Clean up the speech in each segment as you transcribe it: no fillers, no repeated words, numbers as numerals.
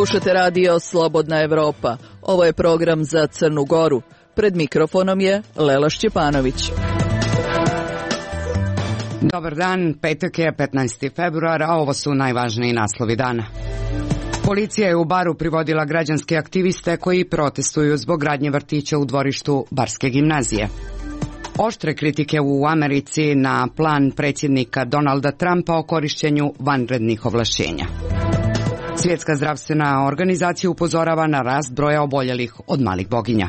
Slušate radio Slobodna Evropa. Ovo je program za Crnu Goru. Pred mikrofonom je Lela Šćepanović. Dobar dan, petak je 15. februar, a ovo su najvažniji naslovi dana. Policija je u Baru privodila građanske aktiviste koji protestuju zbog gradnje vrtića u dvorištu Barske gimnazije. Oštre kritike u Americi na plan predsjednika Donalda Trumpa o korišćenju vanrednih ovlašćenja. Svjetska zdravstvena organizacija upozorava na rast broja oboljelih od malih boginja.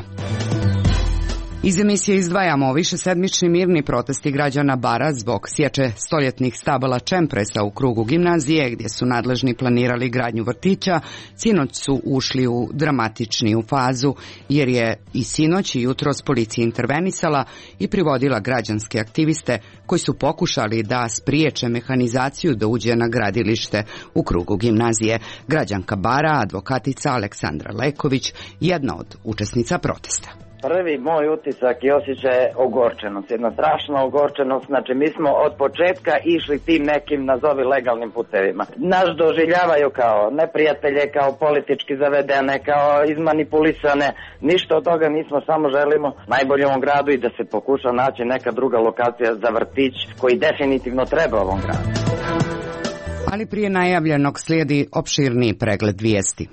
Iz emisije izdvajamo višesedmični mirni protesti građana Bara zbog sječe stoljetnih stabala čempresa u krugu gimnazije, gdje su nadležni planirali gradnju vrtića. Sinoć su ušli u dramatičniju fazu, jer je i sinoć i jutros policija intervenisala i privodila građanske aktiviste koji su pokušali da spriječe mehanizaciju da uđe na gradilište u krugu gimnazije. Građanka Bara, advokatica Aleksandra Leković, jedna od učesnica protesta. Prvi moj utisak i osjećaj je ogorčenost, jedna strašna ogorčenost. Znači, mi smo od početka išli tim nekim, nazovi, legalnim putevima. Nas doživljavaju kao neprijatelje, kao politički zavedene, kao izmanipulisane. Ništa od toga nismo, samo želimo najbolje u ovom gradu i da se pokuša naći neka druga lokacija za vrtić koji definitivno treba ovom gradu. Ali prije najavljenog slijedi opširniji pregled vijesti.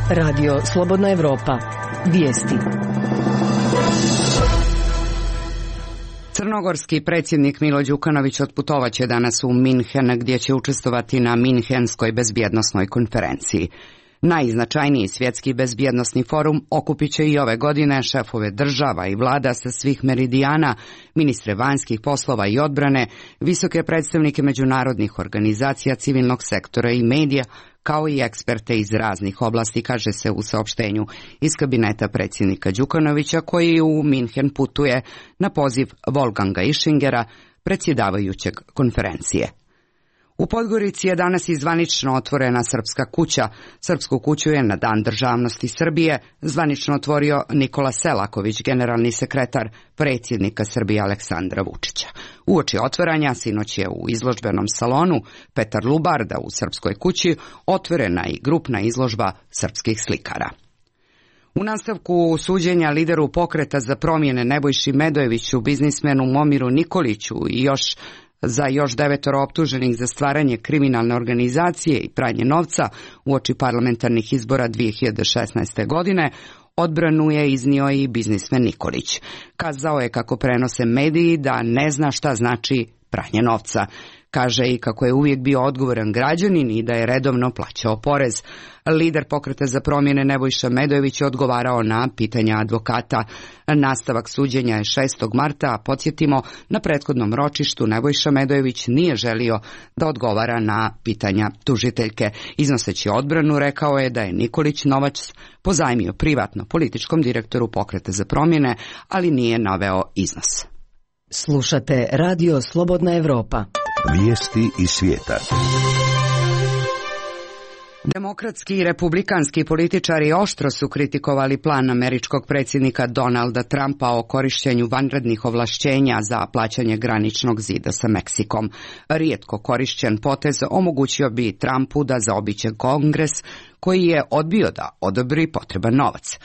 Radio Slobodna Evropa. Vijesti. Crnogorski predsjednik Milo Đukanović otputovaće danas u Minhen, gdje će učestvovati na Minhenskoj bezbjednosnoj konferenciji. Najznačajniji svjetski bezbjednosni forum okupit će i ove godine šefove država i vlada sa svih meridijana, ministre vanjskih poslova i odbrane, visoke predstavnike međunarodnih organizacija, civilnog sektora i medija, kao i eksperte iz raznih oblasti, kaže se u saopštenju iz kabineta predsjednika Đukanovića, koji u Minhen putuje na poziv Wolfganga Ischingera, predsjedavajućeg konferencije. U Podgorici je danas i zvanično otvorena Srpska kuća. Srpsku kuću je na Dan državnosti Srbije zvanično otvorio Nikola Selaković, generalni sekretar predsjednika Srbije Aleksandra Vučića. Uoči otvaranja sinoć je u izložbenom salonu Petar Lubarda u Srpskoj kući otvorena i grupna izložba srpskih slikara. U nastavku suđenja lideru pokreta za promjene Nebojši Medojeviću, biznismenu Momiru Nikoliću i još 9 optuženih za stvaranje kriminalne organizacije i pranje novca uoči parlamentarnih izbora 2016. godine, odbranu je iznio i biznismen Nikolić. Kazao je, kako prenose mediji, da ne zna šta znači pranje novca. Kaže i kako je uvijek bio odgovoran građanin i da je redovno plaćao porez. Lider pokreta za promjene Nebojša Medojević je odgovarao na pitanja advokata. Nastavak suđenja je 6. marta, a podsjetimo, na prethodnom ročištu Nebojša Medojević nije želio da odgovara na pitanja tužiteljke. Iznoseći odbranu, rekao je da je Nikolić novac pozajmio privatno političkom direktoru pokreta za promjene, ali nije naveo iznos. Slušate radio Slobodna Evropa. Vijesti iz svijeta. Demokratski i republikanski političari oštro su kritikovali plan američkog predsjednika Donalda Trumpa o korištenju vanrednih ovlašćenja za plaćanje graničnog zida sa Meksikom. Rijetko korišćen potez omogućio bi Trumpu da zaobiđe Kongres, koji je odbio da odobri potreban novac.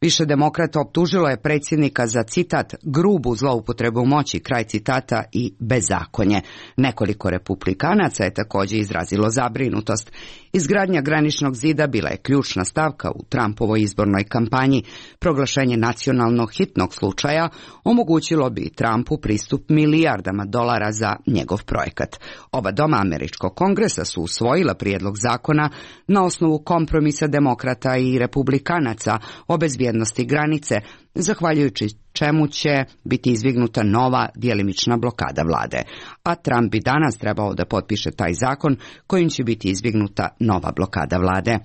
Više demokrata optužilo je predsjednika za, citat, grubu zloupotrebu moći, kraj citata, i bezakonje. Nekoliko republikanaca je također izrazilo zabrinutost. Izgradnja graničnog zida bila je ključna stavka u Trumpovoj izbornoj kampanji. Proglašenje nacionalnog hitnog slučaja omogućilo bi Trumpu pristup milijardama dolara za njegov projekat. Oba doma američkog kongresa su usvojila prijedlog zakona na osnovu kompromisa demokrata i republikanaca o bezbjednosti granice, zahvaljujući čemu će biti izvignuta nova djelimična blokada vlade. A Trump bi danas trebao da potpiše taj zakon kojim će biti izvignuta nova blokada vlade.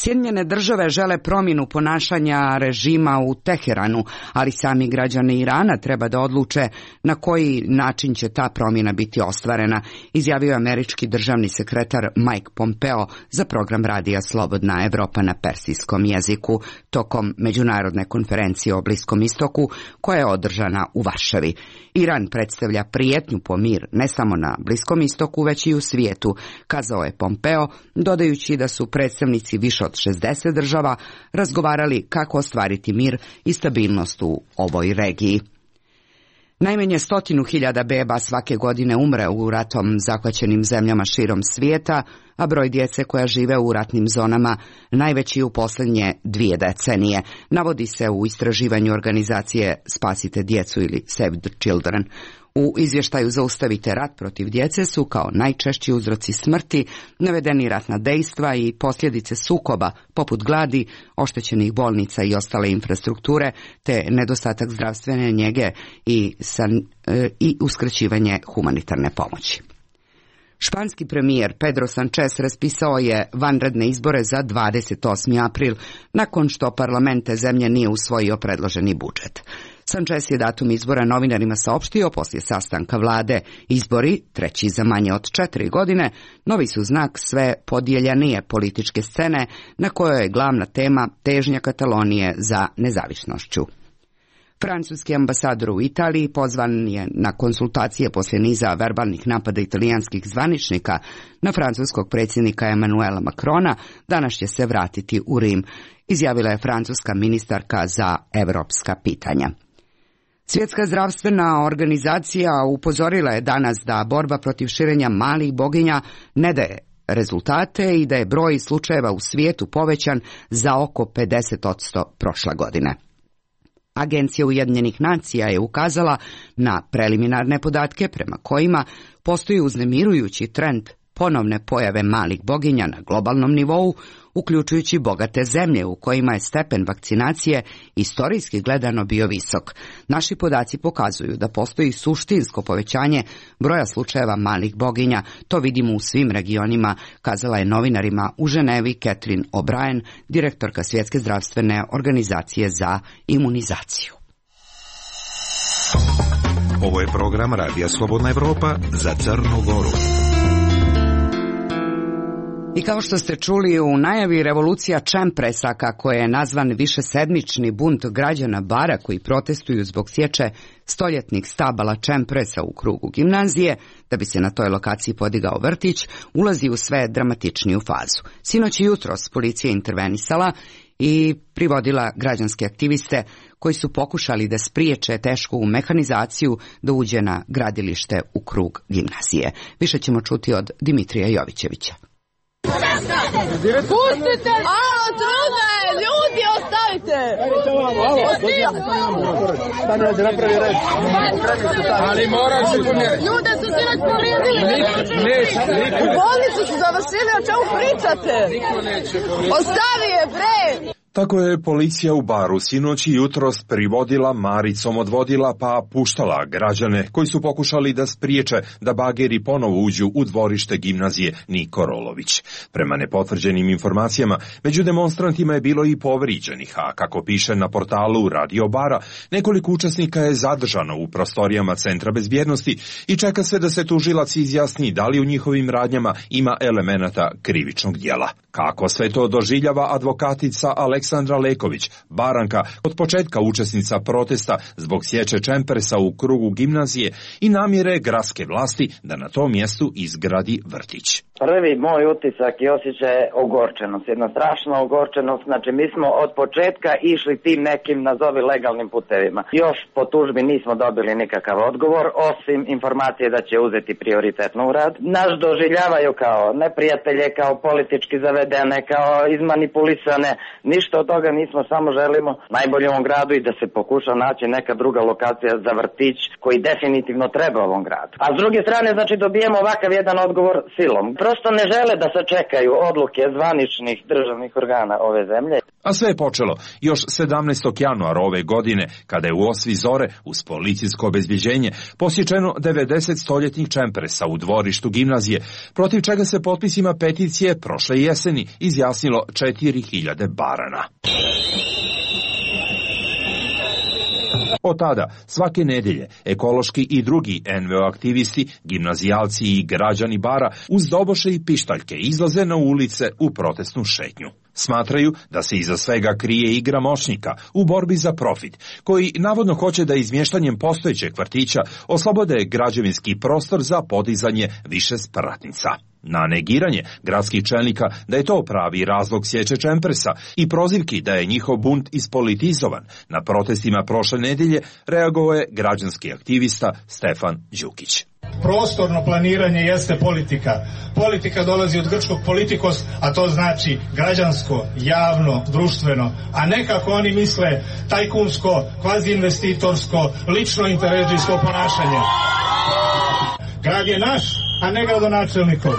Sjedinjene države žele promjenu ponašanja režima u Teheranu, ali sami građani Irana treba da odluče na koji način će ta promjena biti ostvarena, izjavio američki državni sekretar Mike Pompeo za program radija Slobodna Evropa na persijskom jeziku tokom međunarodne konferencije o Bliskom istoku koja je održana u Varšavi. Iran predstavlja prijetnju po mir ne samo na Bliskom istoku, već i u svijetu, kazao je Pompeo, dodajući da su predstavnici više od 60 država razgovarali kako ostvariti mir i stabilnost u ovoj regiji. Najmanje 100.000 beba svake godine umre u ratom zahvaćenim zemljama širom svijeta, a broj djece koja žive u ratnim zonama najveći u posljednje 2 decenije, navodi se u istraživanju organizacije Spasite djecu ili Save the Children. U izvještaju Zaustavite rat protiv djece su kao najčešći uzroci smrti navedeni ratna dejstva i posljedice sukoba poput gladi, oštećenih bolnica i ostale infrastrukture, te nedostatak zdravstvene njege i uskraćivanje humanitarne pomoći. Španski premijer Pedro Sánchez raspisao je vanredne izbore za 28. april, nakon što parlament te zemlje nije usvojio predloženi budžet. Sánchez je datum izbora novinarima saopštio poslije sastanka vlade. Izbori, treći za manje od 4 godine, novi su znak sve podijeljenije političke scene na kojoj je glavna tema težnja Katalonije za nezavisnošću. Francuski ambasador u Italiji pozvan je na konsultacije poslije niza verbalnih napada italijanskih zvaničnika na francuskog predsjednika Emmanuela Macrona. Danas će se vratiti u Rim, izjavila je francuska ministarka za europska pitanja. Svjetska zdravstvena organizacija upozorila je danas da borba protiv širenja malih boginja ne daje rezultate i da je broj slučajeva u svijetu povećan za oko 50% prošle godine. Agencija Ujedinjenih nacija je ukazala na preliminarne podatke prema kojima postoji uznemirujući trend ponovne pojave malih boginja na globalnom nivou, uključujući bogate zemlje u kojima je stepen vakcinacije istorijski gledano bio visok. Naši podaci pokazuju da postoji suštinsko povećanje broja slučajeva malih boginja. To vidimo u svim regionima, kazala je novinarima u Ženevi Catherine O'Brien, direktorka Svjetske zdravstvene organizacije za imunizaciju. Ovo je program Radija Slobodna Evropa za Crnu Goru. I kao što ste čuli u najavi, revolucija Čempresa, kako je nazvan višesedmični bunt građana Bara koji protestuju zbog sječe stoljetnih stabala Čempresa u krugu gimnazije, da bi se na toj lokaciji podigao vrtić, ulazi u sve dramatičniju fazu. Sinoć i jutros policija intervenisala i privodila građanske aktiviste koji su pokušali da spriječe tešku mehanizaciju da uđe na gradilište u krug gimnazije. Više ćemo čuti od Dimitrija Jovićevića. Pustite! Alo, trudno je! Ljudi, ostavite! Ali moraš se pomjeriti. Ljude su sinoć povrijedili! U bolnicu su završili, o čemu pričate? Ostavi je, bre! Tako je policija u Baru sinoć i jutros privodila, maricom odvodila pa puštala građane koji su pokušali da spriječe da bageri ponovo uđu u dvorište gimnazije Niko Rolović. Prema nepotvrđenim informacijama, među demonstrantima je bilo i povrijeđenih, a kako piše na portalu Radio Bara, nekoliko učesnika je zadržano u prostorijama Centra bezbjednosti i čeka se da se tužilac izjasni da li u njihovim radnjama ima elemenata krivičnog djela. Kako sve to doživljava advokatica Aleksandra Leković, Baranka, od početka učesnica protesta zbog sječe Čempresa u krugu gimnazije i namjere gradske vlasti da na tom mjestu izgradi vrtić. Prvi moj utisak i osjećaj je ogorčenost, jedna strašna ogorčenost, znači mi smo od početka išli tim nekim nazovi legalnim putevima. Još po tužbi nismo dobili nikakav odgovor, osim informacije da će uzeti prioritetno u rad. Nas doživljavaju kao neprijatelje, kao politički zavedene, kao izmanipulisane, ništa od toga nismo, samo želimo najbolje u ovom gradu i da se pokuša naći neka druga lokacija za vrtić koji definitivno treba ovom gradu. A s druge strane, znači dobijemo ovakav jedan odgovor silom. Prosto ne žele da sačekaju odluke zvaničnih državnih organa ove zemlje. A sve je počelo još 17. januara ove godine, kada je u osvi zore, uz policijsko obezbjeđenje, posječeno 90 stoljetnih čempresa u dvorištu gimnazije, protiv čega se potpisima peticije prošle jeseni izjasnilo 4000 barana. Od tada, svake nedelje, ekološki i drugi NVO aktivisti, gimnazijalci i građani Bara uz doboše i pištaljke izlaze na ulice u protestnu šetnju. Smatraju da se iza svega krije igra moćnika u borbi za profit, koji navodno hoće da izmještanjem postojećeg vrtića oslobode građevinski prostor za podizanje više spratnica. Na negiranje gradskih čelnika da je to pravi razlog sječe čempresa i prozivki da je njihov bunt ispolitizovan, na protestima prošle nedelje reagovao je građanski aktivista Stefan Đukić. Prostorno planiranje jeste politika. Politika dolazi od grčkog politikos, a to znači građansko, javno, društveno, a ne kako oni misle tajkunsko, kvazi investitorsko, lično interesijsko ponašanje. Grad je naš, a ne gradonačelnikov.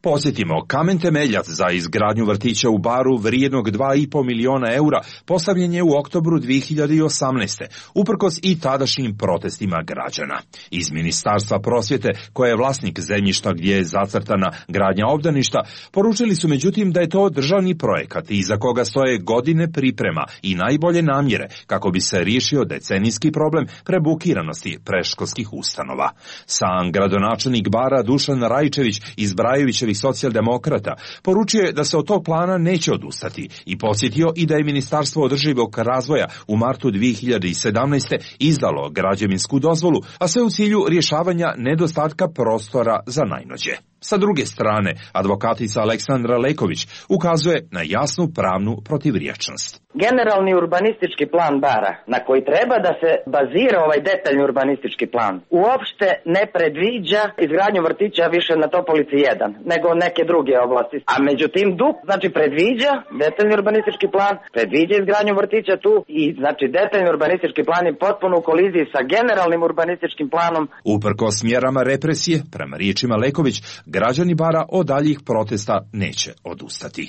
Posjetimo, kamen temeljac za izgradnju vrtića u Baru vrijednog 2,5 miliona eura postavljen je u oktobru 2018. uprkos i tadašnjim protestima građana. Iz Ministarstva prosvjete, koje je vlasnik zemljišta gdje je zacrtana gradnja obdaništa, poručili su međutim da je to državni projekat iza koga stoje godine priprema i najbolje namjere kako bi se riješio decenijski problem prebukiranosti predškolskih ustanova. Sam gradonačelnik Bara Dušan Rajčević iz Brajevićevih socijaldemokrata poručio je da se od tog plana neće odustati i podsjetio i da je Ministarstvo održivog razvoja u martu 2017. izdalo građevinsku dozvolu, a sve u cilju rješavanja nedostatka prostora za najnođe. Sa druge strane, advokatica Aleksandra Leković ukazuje na jasnu pravnu protivriječnost. Generalni urbanistički plan Bara, na koji treba da se bazira ovaj detaljni urbanistički plan, uopšte ne predviđa izgradnju vrtića više na Topolici 1, nego neke druge oblasti. A međutim, DUP, znači predviđa, detaljni urbanistički plan, predviđa izgradnju vrtića tu i znači detaljni urbanistički plan je potpuno u koliziji sa generalnim urbanističkim planom. Uprkos mjerama represije, prema riječima Leković, građani Bara od daljih protesta neće odustati.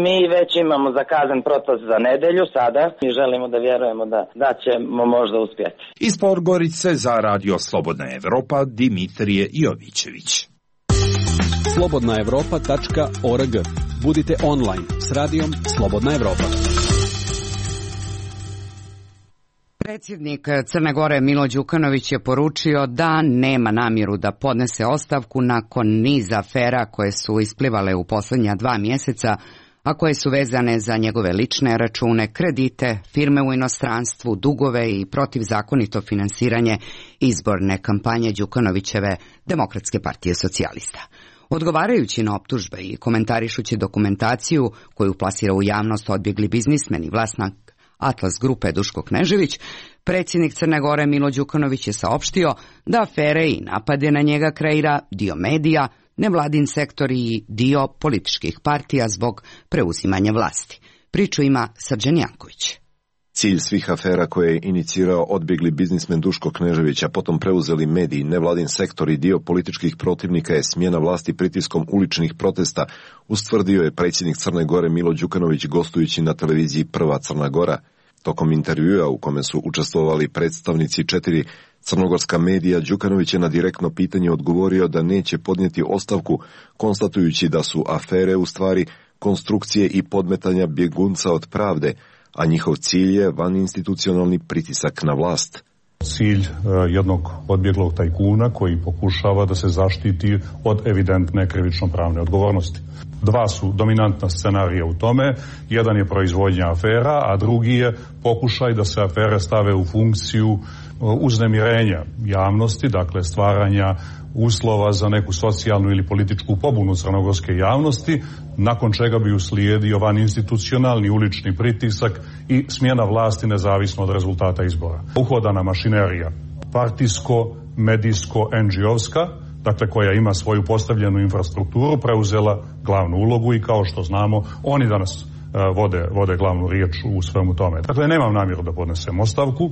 Mi već imamo zakazan protest za nedelju sada i želimo da vjerujemo da ćemo možda uspjeti. Iz Podgorice za Radio Slobodna Evropa, Dimitrije Jovićević. slobodnaevropa.org. Budite online s radijom Slobodna Evropa. Predsjednik Crne Gore Milo Đukanović je poručio da nema namjeru da podnese ostavku nakon niza afera koje su isplivale u posljednja 2 mjeseca, a koje su vezane za njegove lične račune, kredite, firme u inostranstvu, dugove i protivzakonito finansiranje izborne kampanje Đukanovićeve Demokratske partije socijalista. Odgovarajući na optužbe i komentarišući dokumentaciju koju plasira u javnost odbjegli biznismen i vlasnik Atlas grupe Duško Knežević, predsjednik Crne Gore Milo Đukanović je saopštio da afere i napade na njega kreira dio medija, nevladin sektor i dio političkih partija zbog preuzimanja vlasti. Priču ima Srđan Janković. Cilj svih afera koje je inicirao odbjegli biznismen Duško Knežević, a potom preuzeli mediji, nevladin sektor i dio političkih protivnika je smjena vlasti pritiskom uličnih protesta, ustvrdio je predsjednik Crne Gore Milo Đukanović gostujući na televiziji Prva Crna Gora. Tokom intervjua u kome su učestvovali predstavnici 4 crnogorska medija, Đukanović je na direktno pitanje odgovorio da neće podnijeti ostavku, konstatujući da su afere u stvari konstrukcije i podmetanja bjegunca od pravde, a njihov cilj je vaninstitucionalni pritisak na vlast. Cilj jednog odbjeglog tajkuna koji pokušava da se zaštiti od evidentne krivično-pravne odgovornosti. 2 su dominantna scenarija u tome, jedan je proizvodnja afera, a drugi je pokušaj da se afere stave u funkciju uznemirenja javnosti, dakle stvaranja uslova za neku socijalnu ili političku pobunu crnogorske javnosti, nakon čega bi uslijedio vaninstitucionalni ulični pritisak i smjena vlasti nezavisno od rezultata izbora. Uhodana mašinerija, partijsko, medijsko, NGO-ska, dakle koja ima svoju postavljenu infrastrukturu, preuzela glavnu ulogu i kao što znamo, oni danas vode glavnu riječ u svemu tome. Dakle, nemam namjeru da podnesem ostavku.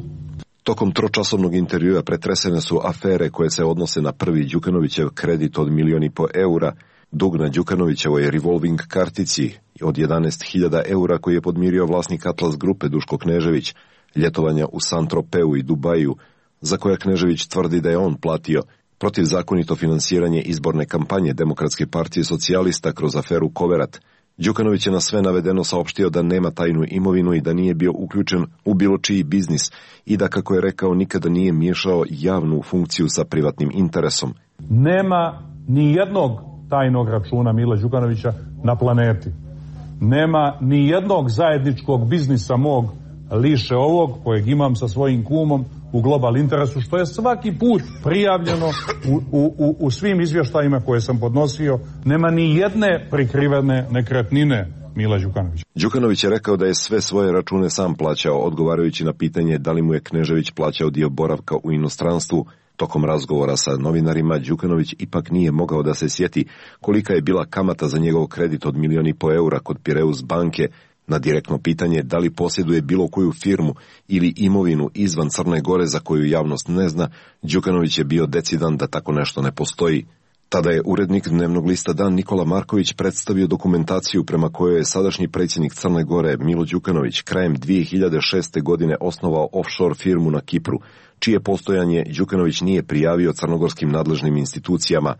Tokom tročasovnog intervjua pretresene su afere koje se odnose na prvi Đukanovićev kredit od 1,5 milijuna eura, Dug na Đukanovićevoj revolving kartici od 11.000 eura koji je podmirio vlasnik Atlas grupe Duško Knežević, ljetovanja u Saint-Tropeu i Dubaju, za koja Knežević tvrdi da je on platio, protivzakonito finansiranje izborne kampanje Demokratske partije socijalista kroz aferu Koverat. Đukanović je na sve navedeno saopštio da nema tajnu imovinu i da nije bio uključen u bilo čiji biznis i da, kako je rekao, nikada nije miješao javnu funkciju sa privatnim interesom. Nema ni jednog tajnog računa Mila Đukanovića na planeti. Nema ni jednog zajedničkog biznisa mog liše ovog kojeg imam sa svojim kumom u Global Interesu, što je svaki put prijavljeno u svim izvještajima koje sam podnosio. Nema ni jedne prikrivene nekretnine Mila Đukanovića. Đukanović je rekao da je sve svoje račune sam plaćao, odgovarajući na pitanje da li mu je Knežević plaćao dio boravka u inostranstvu. Tokom razgovora sa novinarima, Đukanović ipak nije mogao da se sjeti kolika je bila kamata za njegov kredit od 1,5 miliona eura kod Pireus banke. Na direktno pitanje da li posjeduje bilo koju firmu ili imovinu izvan Crne Gore za koju javnost ne zna, Đukanović je bio decidan da tako nešto ne postoji. Tada je urednik dnevnog lista Dan Nikola Marković predstavio dokumentaciju prema kojoj je sadašnji predsjednik Crne Gore Milo Đukanović krajem 2006. godine osnovao offshore firmu na Kipru, čije postojanje Đukanović nije prijavio crnogorskim nadležnim institucijama.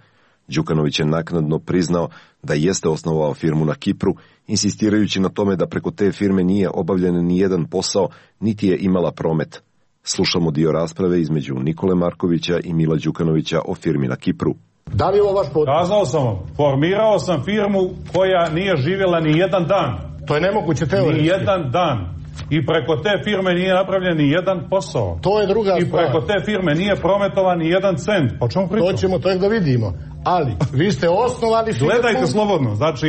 Đukanović je naknadno priznao da jeste osnovao firmu na Kipru, insistirajući na tome da preko te firme nije obavljen ni jedan posao, niti je imala promet. Slušamo dio rasprave između Nikole Markovića i Mila Đukanovića o firmi na Kipru. Da li je ovo vaš potpis? Kazao sam vam, formirao sam firmu koja nije živjela ni jedan dan. To je nemoguće teoretski. Ni jedan dan. I preko te firme nije napravljen ni jedan posao. To je druga stvar. I preko te firme nije prometovan ni jedan cent. Po čemu pričamo? To ćemo tek da vidimo. Ali, vi ste osnovali firmu. Gledajte slobodno, znači...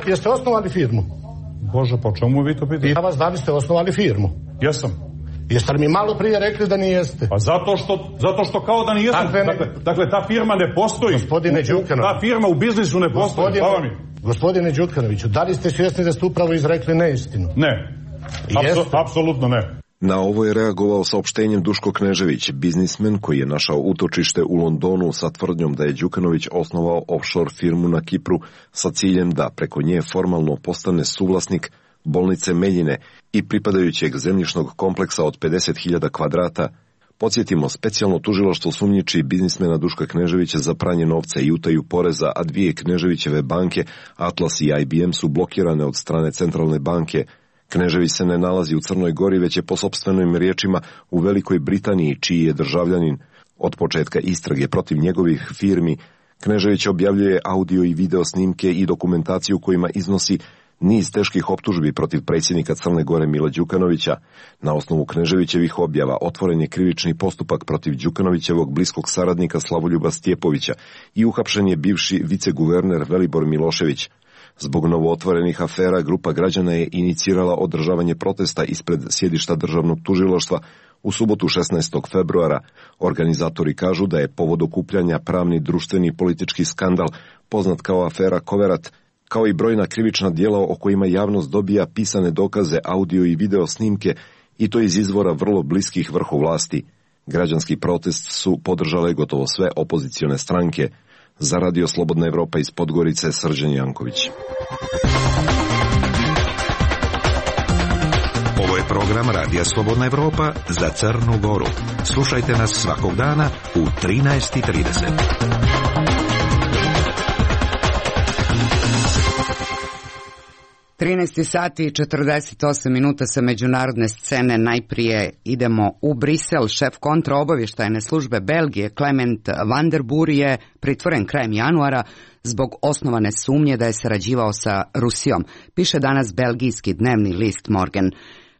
Jeste osnovali firmu? Bože, po čemu vi to pitate? Ja vas da li ste osnovali firmu? Jesam. Jeste li mi malo prije rekli da nijeste? Pa zato što kao da nijesam. Dakle, ta firma ne postoji. Gospodine Đukanović. Ta firma u biznisu ne postoji. Gospodine Đukanoviću, da li ste svjesni da ste upravo izrekli neistinu? Ne. Apsolutno ne. Na ovo je reagovao saopštenjem Duško Knežević, biznismen koji je našao utočište u Londonu sa tvrdnjom da je Đukanović osnovao offshore firmu na Kipru sa ciljem da preko nje formalno postane suvlasnik bolnice Meljine i pripadajućeg zemljišnog kompleksa od 50.000 kvadrata. Podsjetimo, specijalno tužilaštvo sumnjiči biznismena Duška Kneževića za pranje novca i utaju poreza, a 2 Kneževićeve banke, Atlas i IBM, su blokirane od strane centralne banke. Knežević se ne nalazi u Crnoj Gori, već je po sopstvenim riječima u Velikoj Britaniji, čiji je državljanin. Od početka istrage protiv njegovih firmi, Knežević objavljuje audio i video snimke i dokumentaciju kojima iznosi niz teških optužbi protiv predsjednika Crne Gore Mila Đukanovića. Na osnovu Kneževićevih objava otvoren je krivični postupak protiv Đukanovićevog bliskog saradnika Slavoljuba Stjepovića i uhapšen je bivši viceguverner Velibor Milošević. Zbog novootvorenih afera, grupa građana je inicirala održavanje protesta ispred sjedišta državnog tužilaštva u subotu 16. februara. Organizatori kažu da je povod okupljanja pravni, društveni i politički skandal poznat kao afera Koverat, kao i brojna krivična djela o kojima javnost dobija pisane dokaze, audio i video snimke, i to iz izvora vrlo bliskih vrhu vlasti. Građanski protest su podržale gotovo sve opozicione stranke. Za Radio Slobodna Evropa iz Podgorice, Srđan Janković. Ovo je program Radija Slobodna Evropa za Crnu Goru. Slušajte nas svakog dana u 13:30. 13 sati i 48 minuta sa međunarodne scene. Najprije idemo u Brisel. Šef kontraobavještajne službe Belgije Clement van der Boer je pritvoren krajem januara zbog osnovane sumnje da je sarađivao sa Rusijom, piše danas belgijski dnevni list Morgen.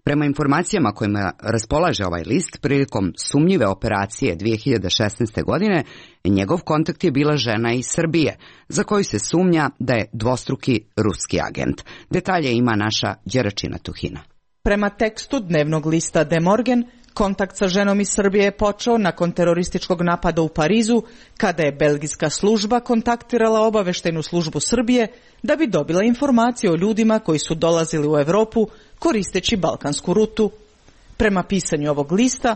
Prema informacijama kojima raspolaže ovaj list, prilikom sumnjive operacije 2016. godine, njegov kontakt je bila žena iz Srbije, za koju se sumnja da je dvostruki ruski agent. Detalje ima naša Đeračina Tuhina. Prema tekstu dnevnog lista De Morgen, kontakt sa ženom iz Srbije je počeo nakon terorističkog napada u Parizu, kada je belgijska služba kontaktirala obaveštajnu službu Srbije da bi dobila informacije o ljudima koji su dolazili u Evropu koristeći balkansku rutu. Prema pisanju ovog lista,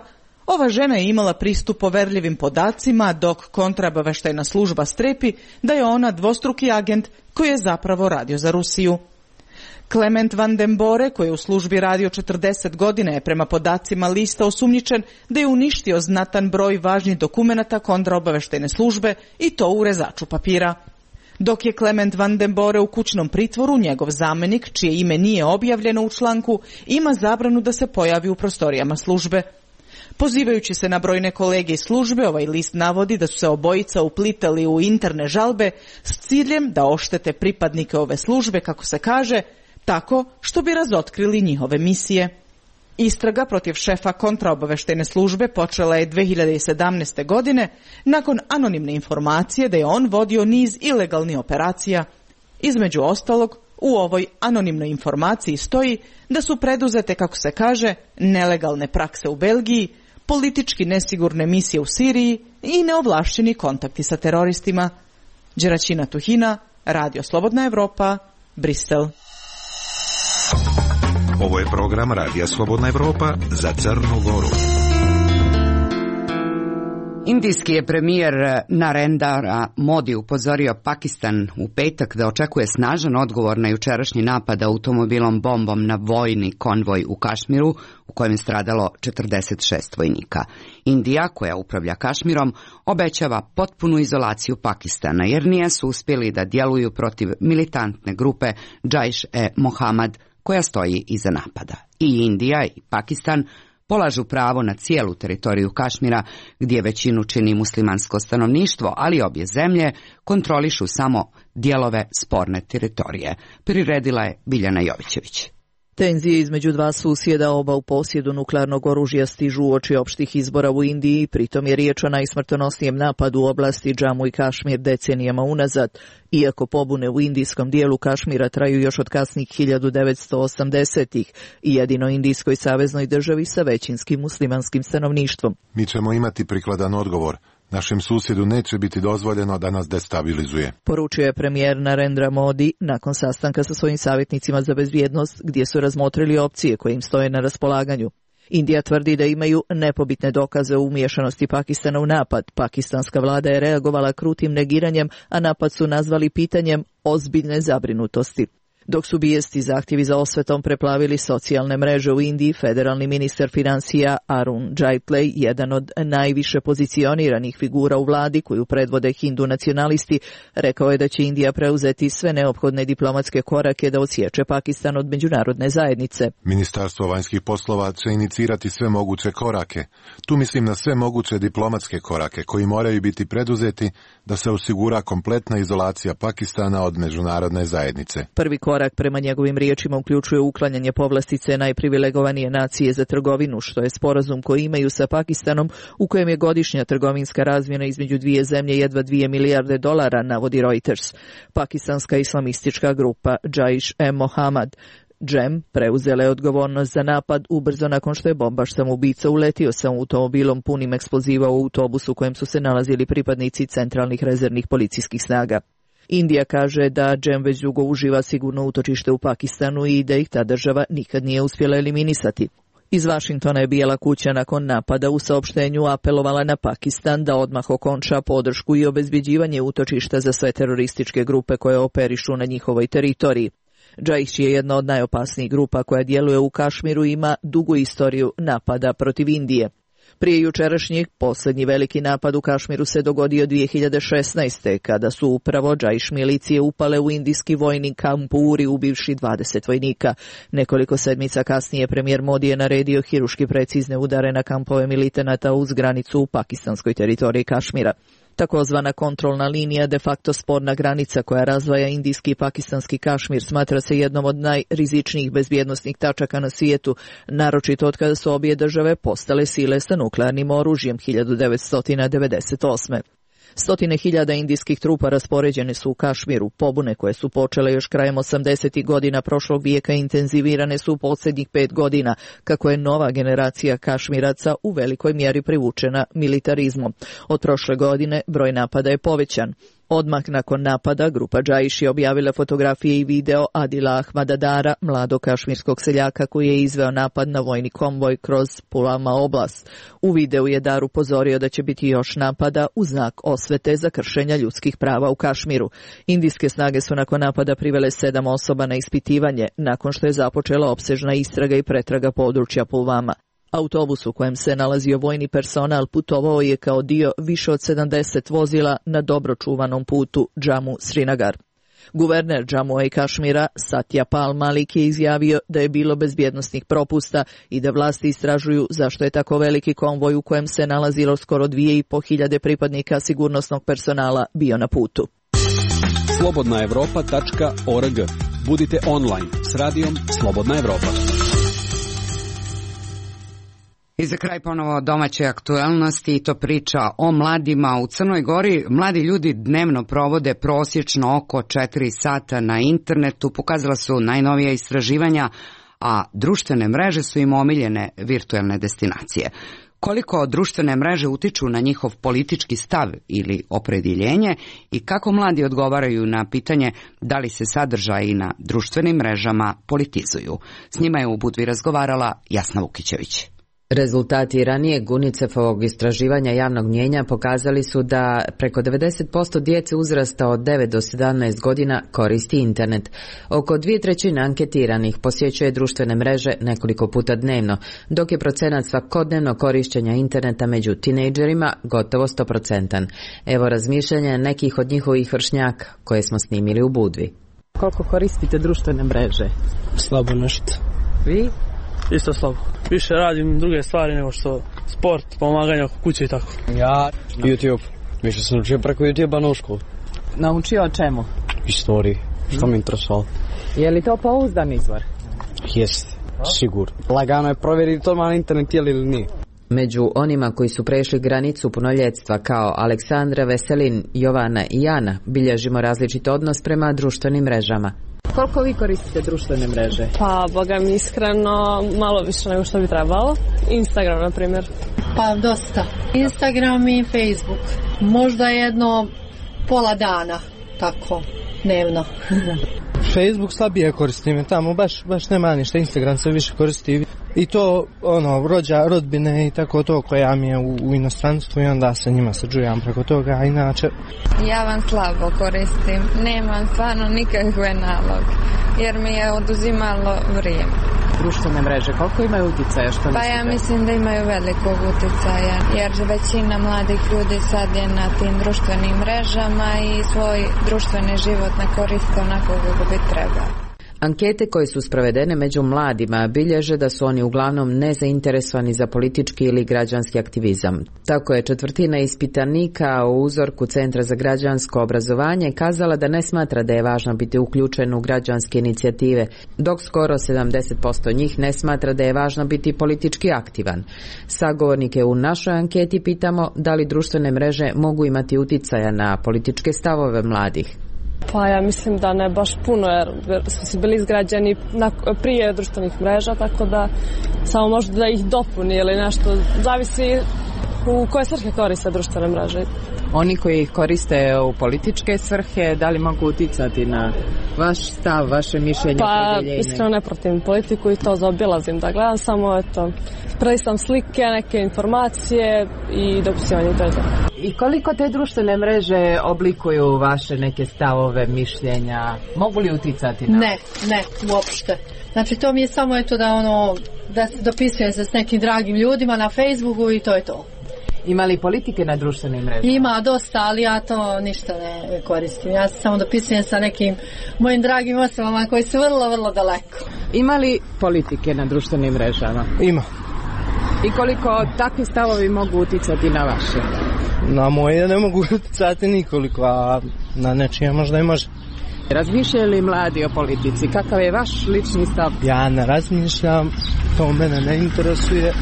Ova žena je imala pristup poverljivim podacima, dok kontraobaveštajna služba strepi da je ona dvostruki agent koji je zapravo radio za Rusiju. Klement Van den Bore, koji je u službi radio 40 godina, je prema podacima lista osumnjičen da je uništio znatan broj važnih dokumenata kontraobaveštajne službe i to u rezaču papira. Dok je Klement Van den Bore u kućnom pritvoru, njegov zamenik, čije ime nije objavljeno u članku, ima zabranu da se pojavi u prostorijama službe. Pozivajući se na brojne kolege iz službe, ovaj list navodi da su se obojica uplitali u interne žalbe s ciljem da oštete pripadnike ove službe, kako se kaže, tako što bi razotkrili njihove misije. Istraga protiv šefa kontraobaveštajne službe počela je 2017. godine nakon anonimne informacije da je on vodio niz ilegalnih operacija. Između ostalog, u ovoj anonimnoj informaciji stoji da su preduzete, kako se kaže, nelegalne prakse u Belgiji, politički nesigurne misije u Siriji i neovlašćeni kontakti sa teroristima. Đeraćina Tuhina, Radio Slobodna Evropa, Brisel. Ovo je program Radija Slobodna Evropa za Crnu Goru. Indijski je premijer Narendra Modi upozorio Pakistan u petak da očekuje snažan odgovor na jučerašnji napad automobilom bombom na vojni konvoj u Kašmiru, u kojem je stradalo 46 vojnika. Indija, koja upravlja Kašmirom, obećava potpunu izolaciju Pakistana, jer nije su uspjeli da djeluju protiv militantne grupe Jaiš-e-Mohamad, koja stoji iza napada. I Indija i Pakistan polažu pravo na cijelu teritoriju Kašmira, gdje većinu čini muslimansko stanovništvo, ali obje zemlje kontrolišu samo dijelove sporne teritorije. Priredila je Biljana Jovićević. Tenzije između dva susjeda, oba u posjedu nuklearnog oružja, stižu uoči opštih izbora u Indiji, pritom je riječ o najsmrtonosnijem napadu u oblasti Džamu i Kašmir decenijama unazad. Iako pobune u indijskom dijelu Kašmira traju još od kasnih 1980-ih i jedino indijskoj saveznoj državi sa većinskim muslimanskim stanovništvom. Mi ćemo imati prikladan odgovor. Našem susjedu neće biti dozvoljeno da nas destabilizuje, poručio je premijer Narendra Modi nakon sastanka sa svojim savjetnicima za bezbjednost, gdje su razmotrili opcije koje im stoje na raspolaganju. Indija tvrdi da imaju nepobitne dokaze o umiješanosti Pakistana u napad. Pakistanska vlada je reagovala krutim negiranjem, a napad su nazvali pitanjem ozbiljne zabrinutosti. Dok su bijesti zahtjevi za osvetom preplavili socijalne mreže u Indiji, federalni ministar financija Arun Jaitley, jedan od najviše pozicioniranih figura u vladi koju predvode hindu nacionalisti, rekao je da će Indija preuzeti sve neophodne diplomatske korake da odsječe Pakistan od međunarodne zajednice. Ministarstvo vanjskih poslova će inicirati sve moguće korake. Tu mislim na sve moguće diplomatske korake koji moraju biti preduzeti da se osigura kompletna izolacija Pakistana od međunarodne zajednice. Prvi korak prema njegovim riječima uključuje uklanjanje povlastice najprivilegovanije nacije za trgovinu, što je sporazum koji imaju sa Pakistanom, u kojem je godišnja trgovinska razmjena između dvije zemlje jedva $2 milijarde, navodi Reuters. Pakistanska islamistička grupa Jaiš-e-Mohamad Džem preuzela je odgovornost za napad ubrzo nakon što je bombaš samoubica uletio sa automobilom punim eksploziva u autobusu u kojem su se nalazili pripadnici centralnih rezervnih policijskih snaga. Indija kaže da Džem već dugo uživa sigurno utočište u Pakistanu i da ih ta država nikad nije uspjela eliminisati. Iz Vašingtona je Bijela kuća nakon napada u saopštenju apelovala na Pakistan da odmah okonča podršku i obezbjeđivanje utočišta za sve terorističke grupe koje operišu na njihovoj teritoriji. Jaiš je jedna od najopasnijih grupa koja djeluje u Kašmiru i ima dugu istoriju napada protiv Indije. Prije jučerašnjeg, posljednji veliki napad u Kašmiru se dogodio 2016. kada su upravo Jaiš milicije upale u indijski vojni kamp u Uri ubivši 20 vojnika. Nekoliko sedmica kasnije premijer Modi je naredio hiruški precizne udare na kampove militanata uz granicu u pakistanskoj teritoriji Kašmira. Takozvana kontrolna linija, de facto sporna granica koja razdvaja indijski i pakistanski Kašmir, smatra se jednom od najrizičnijih bezbjednosnih tačaka na svijetu, naročito od kada su obje države postale sile sa nuklearnim oružjem 1998. Stotine hiljada indijskih trupa raspoređene su u Kašmiru. Pobune koje su počele još krajem 80. godina prošlog vijeka intenzivirane su u posljednjih 5 godina, kako je nova generacija Kašmiraca u velikoj mjeri privučena militarizmom. Od prošle godine broj napada je povećan. Odmah nakon napada, grupa Džaiš je objavila fotografije i video Adila Ahmadadara, mladog kašmirskog seljaka koji je izveo napad na vojni konvoj kroz Pulama oblast. U videu je Dar upozorio da će biti još napada u znak osvete za kršenja ljudskih prava u Kašmiru. Indijske snage su nakon napada privele 7 osoba na ispitivanje, nakon što je započela opsežna istraga i pretraga područja Pulvama. Autobus u kojem se nalazio vojni personal putovao je kao dio više od 70 vozila na dobro čuvanom putu Džamu Srinagar. Guverner Džamua i Kašmira Satya Pal Malik je izjavio da je bilo bezbjednosnih propusta i da vlasti istražuju zašto je tako veliki konvoj u kojem se nalazilo skoro 2500 pripadnika sigurnosnog personala bio na putu. Slobodnaevropa.org. Budite online s radijom Slobodna Evropa. I za kraj ponovo domaće aktualnosti, i to priča o mladima u Crnoj Gori. Mladi ljudi dnevno provode prosječno oko 4 sata na internetu, pokazala su najnovija istraživanja, a društvene mreže su im omiljene virtualne destinacije. Koliko društvene mreže utiču na njihov politički stav ili opredjeljenje i kako mladi odgovaraju na pitanje da li se sadržaji na društvenim mrežama politizuju. S njima je u Budvi razgovarala Jasna Vukićević. Rezultati ranijeg UNICEF-ovog istraživanja javnog mnijenja pokazali su da preko 90% djece uzrasta od 9 do 17 godina koristi internet. Oko 2/3 anketiranih posjećuje društvene mreže nekoliko puta dnevno, dok je procenat svakodnevno korištenja interneta među tinejdžerima gotovo 100%. Evo razmišljanja nekih od njihovih vršnjaka koje smo snimili u Budvi. Koliko koristite društvene mreže? Slabo nešto. Vi? Isto slabo. Više radim druge stvari nego što sport, pomaganje oko kuće i tako. Ja YouTube. Više sam učio preko YouTube-a na školu. Naučio o čemu? Istoriji. Što me interesovalo. Je li to pouzdan izvor? Jeste, sigurno. Lagano je provjeriti to na internet ili nije. Među onima koji su prešli granicu punoljetstva kao Aleksandra, Veselin, Jovana i Jana bilježimo različit odnos prema društvenim mrežama. Koliko vi koristite društvene mreže? Pa, boga mi iskreno, malo više nego što bi trebalo. Instagram, na primjer. Pa, dosta. Instagram i Facebook. Možda jedno pola dana, tako, dnevno. Facebook slabije koristim, tamo baš nema ništa. Instagram se više koristi. I to, rodbine i tako to koja mi je u inostranstvu i onda se njima sađujam preko toga, a inače... Ja vam slabo koristim, nemam stvarno nikakve naloge, jer mi je oduzimalo vrijeme. Društvene mreže, koliko imaju utjecaja? Pa ja mislim da imaju velikog utjecaja, jer većina mladih ljudi sad je na tim društvenim mrežama i svoj društveni život ne koriste onako kako bi trebalo. Ankete koje su sprovedene među mladima bilježe da su oni uglavnom nezainteresovani za politički ili građanski aktivizam. Tako je 1/4 ispitanika u uzorku Centra za građansko obrazovanje kazala da ne smatra da je važno biti uključen u građanske inicijative, dok skoro 70% njih ne smatra da je važno biti politički aktivan. Sagovornike u našoj anketi pitamo da li društvene mreže mogu imati utjecaja na političke stavove mladih. Pa ja mislim da ne baš puno, jer su bili izgrađeni prije društvenih mreža, tako da samo možda da ih dopuni ili nešto, zavisi u koje svrhe koriste društvene mreže. Oni koji ih koriste u političke svrhe, da li mogu utjecati na vaš stav, vaše mišljenje? Pa iskreno ne protivim politiku i to zaobilazim da gledam, samo prelistam slike, neke informacije i dopisivanje, to je to. I koliko te društvene mreže oblikuju vaše neke stavove, mišljenja? Mogu li utjecati na? Ne, uopšte. Znači to mi je samo da se dopisujem se s nekim dragim ljudima na Facebooku i to je to. Ima li politike na društvenim mrežama? Ima dosta, ali ja to ništa ne koristim. Ja se samo dopisujem sa nekim mojim dragim osobama koji su vrlo, vrlo daleko. Ima li politike na društvenim mrežama? Ima. I koliko takvi stavovi mogu utjecati na vaše? Na moje ne mogu utjecati nikoliko, a na nečije možda i može. Razmišljaju li mladi o politici? Kakav je vaš lični stav? Ja ne razmišljam, to mene ne interesuje.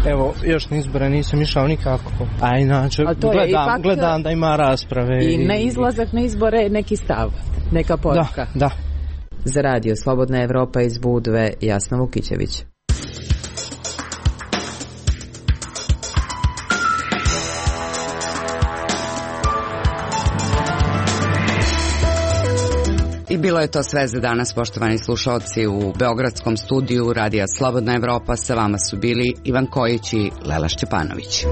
Evo, još na izbore nisam išao nikako, a inače gledam da ima rasprave. I ne izlazak na izbore, neki stav, neka poruka. Da. Za radio Slobodna Evropa iz Budve, Jasna Vukićević. I bilo je to sve za danas, poštovani slušalci. U beogradskom studiju Radija Slobodna Evropa sa vama su bili Ivan Kojić i Lela Šćepanović.